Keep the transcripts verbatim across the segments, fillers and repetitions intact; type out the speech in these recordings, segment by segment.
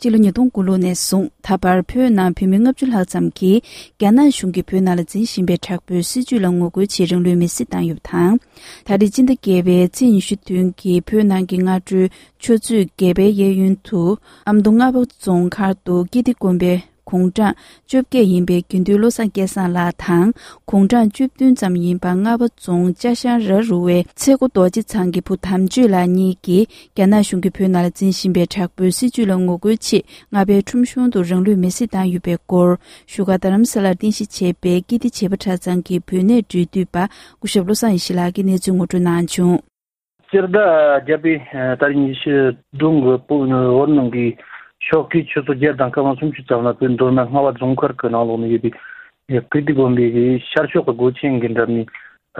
སྤྱི་ལོ་ཉིས་སྟོང་དགུ་ལོ་ནས་བཟུང་ད་བར་བོད་ནང་བོད་མི་ལྔ་བཅུ་ལྷག་ཙམ་གྱིས་རྒྱ་ནག་གཞུང་གིས་བོད་ནང་ལ་འཛིན་བཞིན་པའི་དྲག་པོའི་སྲིད་བྱུས་ལ་ངོ་རྒོལ་ཆེད་རང་ལུས་མེར་སྲེག་བཏང་ཡོད་པ་དང་། ད་རེས་སྤྱི་ཟླ་བརྒྱད་པའི་ཚེས་ཉི་ཤུ་བདུན་གྱི་བོད་ནང་གི་སྔ་དྲོའི་ཆུ་ཚོད་བརྒྱད་པའི་གཡས་གཡོན་དུ་ཨ་མདོ་རྔ་བ་རྫོང་མཁར་དུ་ཀིརྟི་དགོན་པའི་དགུང་གྲངས་བཅོ་བརྒྱད་ཡིན་པའི་དགེ་འདུན་བློ་བཟང་སྐལ་བཟང་ལགས་དང་། དགུང་གྲངས་བཅུ་བདུན་ཙམ་ཡིན་པ་རྔ་བ་རྫོང་ཅ་ཤང་ར་རུ་བའི་ཚེ་མགོ་རྡོ་རྗེ་ཚང་གི་བུ་དམ་ཆོས་ལགས་གཉིས་ཀྱིས་རྒྱ་ནག་གཞུང་གིས་བོད་ནང་ལ་འཛིན་བཞིན་པའི་དྲག་པོའི་སྲིད་བྱུས་ལ་ངོ་རྒོལ་ཆེད་རྔ་བའི་ཁྲོམ་གཞུང་དུ་རང་ལུས་མེར་སྲེག་བཏང་ཡོད་པའི་སྐོར། བཞུགས་སྒར་རྡ་རམ་ས་ལར་རྟེན་གཞི་བྱས་པའི་ཀིརྟི་བྱེས་པ་གྲྭ་ཚང་གི་བོད་གནས་གྲོས་བསྡུར་པ་སྐུ་ཞབས་བློ་བཟང་ཡེ་ཤེས་ལགས་ཀྱིས་གནས་ཚུལ་ངོ་སྤྲོད་གནང་བྱུང་། སྤྱི་ཟླ་བརྒྱད་པའི་ཨ་ཏ་རིག་ཉི་ཤུ་བདུན་གྱི་བོད་ནང་གི་ཞོགས་ཀའི་ཆུ་ཚོད་བརྒྱད་དང་སྐར་མ་སུམ་ཅུ་ཙམ་ལ་བོད་མདོ་སྨད་རྔ་བ་རྫོང་མཁར་གྱི་ནང་ལོགས་ནས་ཡོད་པའི་ཀིརྟི་དགོན་པའི་གི་ཤར་ཕྱོགས་ཀྱི་སྒོ་ཆེན་གྱི་འགྲམ་ནས་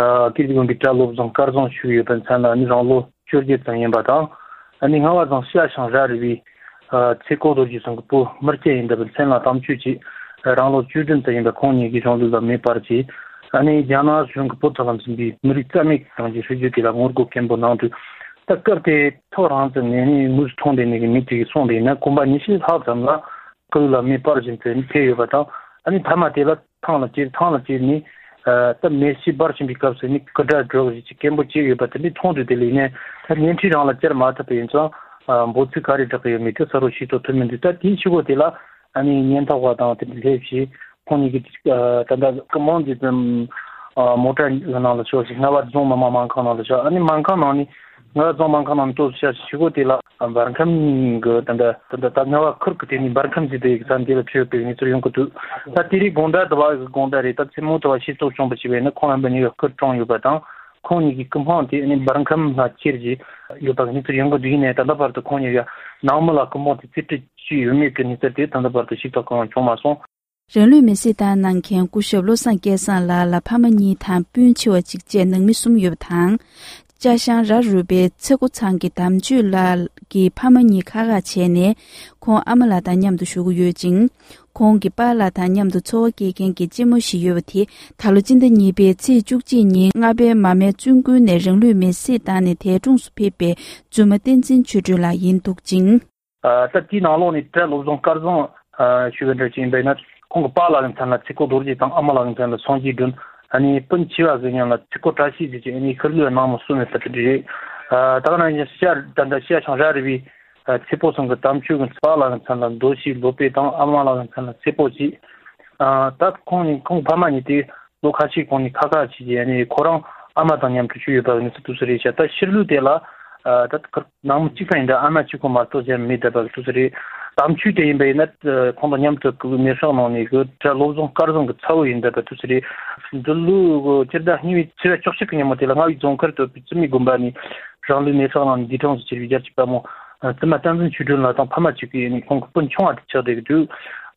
ཨ་ཀིརྟི་དགོན་པའི་གྲྭ་བློ་བཟང་སྐལ་བཟང་ཞུ་ཡོད་པའི་མཚན་ལ་ནི་རང་ལོ་བཅོ་བརྒྱད་ཙམ་ཡིན་པ་དང་། ཨ་ནི་རྔ་བ་རྫོང་ཤ་ཤང་ར་རི་བའི་ཨ་ཚེ་མགོ་རྡོ་རྗེ་ཚང་གི་བུ་མི་སྐྱ་ཡིན་པའི་མཚན་ལ་དམ་ཆོས་ཀྱིས་རང་ལོ་བཅུ་བདུན་ཙམ་ཡིན་པའི་ཁོང་གཉིས་ཀྱི་རང་ལུས་ལ་མེ་སྤར་གྱིས། ཨ་ནི་རྒྱ་ནག་གཞུང་གིས་བོད་ཐོག་ལ་འཛིན་པའི་མི་རིགས་རྩ་མེད་ཀྱི་གཏོང་རྒྱུའི་སྲིད་ཇུས་དེ་ལ་ངོ་རྒོལ་སྐད་འབོད་གནང་དུས། ད་སྐབས་དེ་ཐག་རིང་ཙམ་ནས་ནི་དངོས་སུ་མཐོང་བསྡད་མཁན་གྱི་མི་དེ་གིས་གསུངས་པ་ཡིན་ན་གོམ་པ་ཉི་ཤུ་ལྷག་ཙམ་ལ་སྐུ་ལུས་ལ་མེ་སྤར་བཞིན་དུ་ཕེབས་ཡོད་པ་དང་། ཨ་ནི་མཐའ་མ་དེ་ལ་ཐང་ལ་ཅེར་ཐང་ལ་ཅེར་ནས་ཨ་ད་མེ་ཤི་འབར་བཞིན་པའི་སྐབས་སུ་ནི་སྐུ་དགྲ་སྒྲོག་བཞིན་གྱི་སྐད་འབོད་བྱས་ཡོད་པ་དེ་འདྲ་མཐོང་དུས། དེ་ལས་ནས་ད་བརྙན་འཕྲིན་རང་ལ་བཅར་མ་ཐུབ་པ་ཡིན་ཙང་། ཨ་འབོད་ཚིག་ག་རེ་བསྒྲགས་ཀྱི་ཡོད་མེད་དེ་གསལ་པོ་ཤེས་རྟོགས་ཐུབ་མི་འདུག་ད་དེའི་ཕྱི་གོ་དེ་ལ་ཨ་ནི་ཉེན་རྟོག་པ་དང་དེ་འདྲ་སླེབས་བྱས་ཁོང་གཉིས་ཀྱིས་ཨ་ད་ལྟ་སྐུ་མང་གི་ཙམ་ཨ་མོ་ཊ་གི་ནང་ལ་ཤོག་ཅིག་རྔ་བ་རྫོང་མི་མང་སྨན་ཁང་ནང་ལ་ཤོག་ཨ་ནི་སྨན་ཁང་ནང་ནས་རྔ་བ་རྫོང་སྨན་ཁང་ནང་ནས་ཏོག་ཙམ་ཤར་ཕྱི་གོ་དེ་ལ་འབར་ཁམས་གི་ད་ལྟ་ད་ལྟ་ད་རྔ་བ་ཁུལ་གྱི་དེ་ནས་འབར་ཁམས་ཟེར་དེ་ས་འདི་ལ་ཆོས་པའི་གནས་ཚུལ་ཡོང་གི་འདུག་ད་དེ་རིང་དགོང་དག་དུ་བ་གི་དགོང་དག་རེད། ད་མཚན་མོ་དུ་བ་ཤེས་རྟོགས་བྱུང་བ་ཞིག་བས་ན་ཁོང་རྣམ་པ་གཉིས་ཀ་སྐུ་གྲོངས་ཡོད་པ་དང་། ཁོང་གཉིས་ཀྱི་སྐུ་འཕང་དེ་ནི་འབར་ཁམས་ལ་ཁྱེར་གྱི་ཡོད་པ་གི་གནས་ཚུལ་ཡོང་གི་འདུག་ཡིན་ནའི་ད་ལྟ་བར་དུ་ཁོང་གཉིས་ཀྱི་ནང་མི་ལ་སྐུ་འཕང་དེ་རྩིས་སྤྲོད་བྱས་ཡོད་མེད་ཀྱི་གནས་ཚུལ་དེ་ད་ལྟ་བར་དུ་ཞིབ་ཚགས་གང་ཡང་བྱུང་མ་སོང་། རང་ལུས་མེར་སྲེག་བཏང་གནང་མཁན་སྐུ་ཞབས་བློ་བཟང་སྐལ་བཟང་ལགས་ལ་ཕ་མ་གཉིས་དང་སྤུན་ཆེ་བ་གཅིག་བཅས་ནང་མི་གསུམ་ཡོད་པ་དང་། ཅ་ཤང་ར་རུ་པའི་ཚེ་མགོ་ཚང་གི་དམ་ཆོས་ལགས་ཀྱི་ཕ་མ་གཉིས་ཁག་ཁག་བྱས་ནས་ཁོང་ཨ་མ་ལགས་དང་མཉམ་དུ་བཞུགས་ཀྱི་ཡོད་ཅིང་། ཁོང་གི་པཱ་ལགས་དང་མཉམ་དུ་འཚོ་བ་སྐྱེལ་མཁན་གྱི་གཅེན་མོ་ཞིག་ཡོད་པ་དེ་ད་ལོ་སྤྱི་ཟླ་གཉིས་པའི་ཚེས་བཅུ་གཅིག་ཉིན་རྔ་པའི་མར་མེ་བཙུན་དགོན་ནས་རང་ལུས་མེར་སྲེག་བཏང་ནས་དེ་གྲོངས་སུ་ཕེབས་པའི་བཙུན་མ་བསྟན་འཛིན་ཆོས་སྒྲོན་ལགས་ཡིན་འདུག་ཅིང་། ཨ་ད་དེའི་ནང་ལོགས་ནས་གྲྭ་བློ་བཟང་སྐལ་བཟང་ཞུ་བའི་འདྲ་ཅིག་ཡིན་པ་ཡིན་ན་ཁོང་གི་པཱ་ལགས་ཀྱི་མཚན་ལ་ཚེ་མགོ་རྡོ་རྗེ་དང་ཨ་མ་ལགས་ཀྱི་མཚན་ལ་སངས་རྒྱས་སྒྲོན། ཨ་ནི་སྤུན་ཆེ་བ་གི་མཉམ་ལ་ཚེ་མགོ་བཀྲ་ཤིས་ཟེར་གྱི་ཨ་ནི་ཤི་ལུས་ནང་མི་གསུམ་ཡོད་པ་དེ་འདྲ་རེད། ཨ་ད་ག་ནང་བཞིན་ཤར་ད་ལྟ་ཤར་ཤང་ར་རི་བའི་ཨ་ཚེ་པོ་ཚང་གི་དམ་ཆོས་ཀྱི་པཱ་ལགས་ཀྱི་མཚན་ལ་རྡོ་ཞིག་ལོ་པེ་དང་ཨ་མ་ལགས་ཀྱི་མཚན་ལ་ཚེ་པོ་ཅིག་ཨ་ད་ཁོང་གཉིས་ཁོང་ཕ་མ་གཉིས་དེ་ལོ་ཁ་ཤས་གོང་ནས་ཁ་ཁ་བྱས་ཀྱི་ཨ་ནི་ཁོ་རང་ཨ་མ་དང་མཉམ་དུ་བཞུགས་ཡོད་པ་གི་གནས་ཚུལ་དུས་སུ་རེད་ཤག་ད་ཤི་ལུས་དེ་ལ་ཨ་ད་ཁར་ནང་མི་གཅིག་ཙམ་ཡིན་འདྲ་ཨ་མ་གཅིག་པོ་མ་གཏོགས་གཞན་མེད་བསྡད་པ་གི་དུས་སུ་རེད། དམ་ཆོས་དེ་ཡིན་པ་ཡིན་ན་ཁོང་དང་མཉམ་དུ་གི་མེ་སྲེག་གནང་ནས་གི་གྲྭ་བློ་བཟང་སྐལ་བཟང་གི་ཚ་བོ་ཡིན་བསྡད་པ་དུས་སུ་རེད། འདི་ལོའི་སྤྱི་ཟླ་གཉིས་པའི་ཚེས་པ་བཅུ་གཅིག་གི་ཉིན་མོ་དེ་ལ་རྔ་བའི་རྫོང་མཁར་དུ་བཙུན་མའི་དགོན་པ་ནས་རང་ལུས་མེ་སྲེག་གནང་ནས་འདས་གྲོངས་སུ་གྱུར་བའི་རྒྱལ་གཅེས་དཔའ་མོ་བཙུན་མ་བསྟན་འཛིན་ཆོས་སྒྲོན་ལགས་དང་ཕ་མ་གཅིག་གིས་ནི་ཁོང་གི་སྤུན་ཆུང་བ་དེ་ཆགས་བསྡད་ཀྱི་འདུག་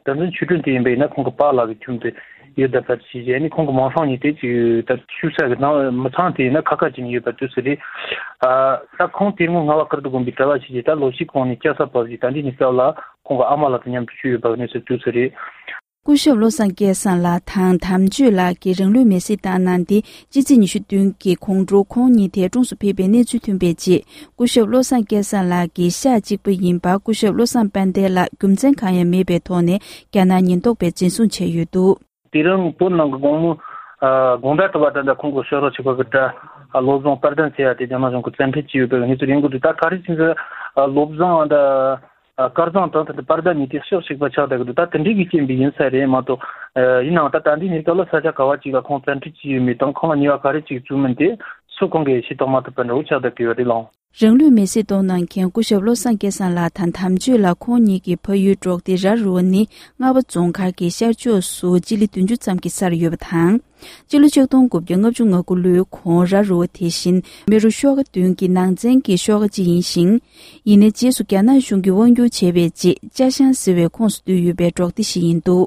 བསྟན་འཛིན་ཆོས་སྒྲོན་དེ་ཡིན་པ་ཡིན་ན་ཁོང་གི་པཱ་ལགས་ཀྱི་ཁྱིམ་དུ་ཡོད་བསྡད་པ་ཞིག་བྱས་ནས་ཁོང་གི་མིང་སྲིང་གཉིས་དེ་ཅིག་ད་བཞུགས་ས་གི་ནང་མི་ཚང་དེ་ཡིན་ན་ཁ་ཁ་ཅིག་ནས་ཡོད་པ་དུས་སུ་རེད། ཨ་ད་ཁོང་དེ་སྔོན་རྔ་བ་ཀིརྟི་དགོན་པའི་གྲྭ་བ་ཞིག་བྱས་ད་ལོ་ཕྱེད་གོང་ནས་སྐྱ་ས་བབས་ཀྱི་ད་འདི་ནས་སྐབས་ལ་ཁོང་གི་ཨ་མ་ལགས་དང་མཉམ་དུ་བཞུགས་ཡོད་པ་གི་གནས་ཚུལ་དུས་སུ་རེད། སྐུ་ཞབས་བློ་བཟང་སྐལ་བཟང་ལགས་དང་དམ་ཆོས་ལགས་ཀྱིས་རང་ལུས་མེར་སྲེག་བཏང་གནང་སྟེ་སྤྱི་ཚེས་ཉི་ཤུ་བདུན་གྱི་དགོང་དྲོ་ཁོང་གཉིས་དེ་གྲོངས་སུ་ཕེབས་པའི་གནས་ཚུལ་ཐོན་པའི་རྗེས་སྐུ་ཞབས་བློ་བཟང་སྐལ་བཟང་ལགས་ཀྱི་ཤག་གཅིག་པ་ཡིན་པ་སྐུ་ཞབས་བློ་བཟང་དཔལ་ལྡན་ལགས་རྒྱུ་མཚན་གང་ཡང་མེད་པའི་ཐོག་ནས་རྒྱ་ནག་ཉེན་རྟོག་པས་འཛིན་བཟུང་བྱས་ཡོད་འདུག་དེ་རིང་བོད་ནང་གི་དགོང་མོ་ཨ་དགོང་དག་དུ་བ་ད་ལྟ་ཁོང་གི་ཤོག་རོགས་ཆེ་བ་གི་གྲྭ་ཨ་བློ་བཟང་དཔལ་ལྡན་ཟེར་ཡ་དེ་རྒྱ་ནག་གཞུང་གི་བཙན་ཁྲིད་བྱས་ཡོད་པའི་གནས་ཚུལ་ཡིན་དགོས་འདུག་ད་ག་རེ་ཟེར་ན་བློ་བཟང་ད་སྐལ་བཟང་དང་ད་ལྟ་དཔལ་ལྡན་གཉིས་དེ་ཕྱོགས་གཅིག་པ་ཆགས་བསྡད་ཀྱི་འདུག་ད་དེ་འདྲའི་གི་རྐྱེན་པས་ཡིན་ས་རེད་མ་གཏོགས། ཡིན་ནའང་ད་ད་འདི་ནས་སྐབས་ལ་ས་ཆ་ག་བ་ཅིག་ལ་ཁོང་བཙན་ཁྲིད་བྱས་ཡོད་མེད་དང་ཁོང་ལ་ཉེས་པ་ག་རེ་ཅིག་བཙུགས་མིན་དེ་སུ་གང་གིས་ཤེས་རྟོགས་མ་ཐུབ་པ་འདྲ་བོ་ཆགས་བསྡད་ཀྱི་ཡོད་རེད་ལགས། རང་ལུས་མེར་སྲེག་གཏོང་གནང་མཁན་སྐུ་ཞབས་བློ་བཟང་སྐལ་བཟང་ལགས་དང་དམ་ཆོས་ལགས་ཁོང་གཉིས་ཀྱི་ཕ་ཡུལ་འབྲོག་སྡེ་ར་རུ་བ་ནི་རྔ་བ་རྫོང་མཁར་གྱི་ཤར་ཕྱོགས་སུ་སྤྱི་ལེ་བདུན་ཅུ་ཙམ་གྱི་སར་ཡོད་པ་དང་། སྤྱི་ལོ་ཆིག་སྟོང་དགུ་བརྒྱ་ལྔ་བཅུ་ང་དགུ་ལོའི་གོང་ར་རུ་བ་དེ་བཞིན་མེ་རུ་ཤོག་ཁ་བདུན་གྱི་ནང་ཚན་གྱི་ཤོག་ཁ་གཅིག་ཡིན་ཞིང་། ཡིན་ནའི་རྗེས་སུ་རྒྱ་ནག་གཞུང་གིས་དབང་བསྒྱུར་བྱས་པའི་རྗེས་ཅ་ཤང་ཟེར་བའི་ཁོངས་སུ་བསྡུས་ཡོད་པའི་འབྲོག་སྡེ་ཞིག་ཡིན་འདུག